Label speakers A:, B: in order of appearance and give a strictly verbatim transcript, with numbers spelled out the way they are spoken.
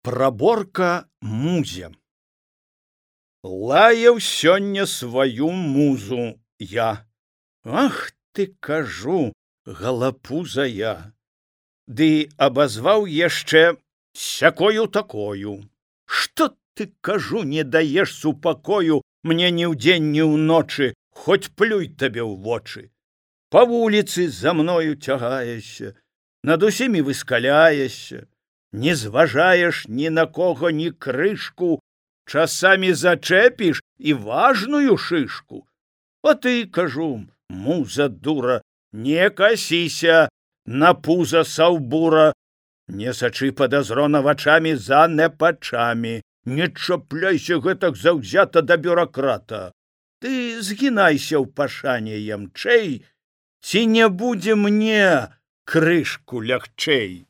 A: Праборка музе. Лаяў сёння сваю музу я. Ах ты, кажу, галапуза я. Ды абазваў яшчэ сякою такою. Што ты, кажу, не даеш супакою мне ні ўдзень, ні ўночы, хоць плюй табе ў вочы. Па вуліцы за мною цягаешся, над усімі выскаляешся, не зважаеш ні на кого, ні крышку, часамі зачэпіш і важную шышку. А ты, кажу, муза дура, не касіся на пуза саўбура, не сачы падазрона вачамі за непачамі, не чапляйся гэтак заўзята да бюракрата. Ты згінайся ў пашане ямчэй, ці не будзе мне крышку лягчэй.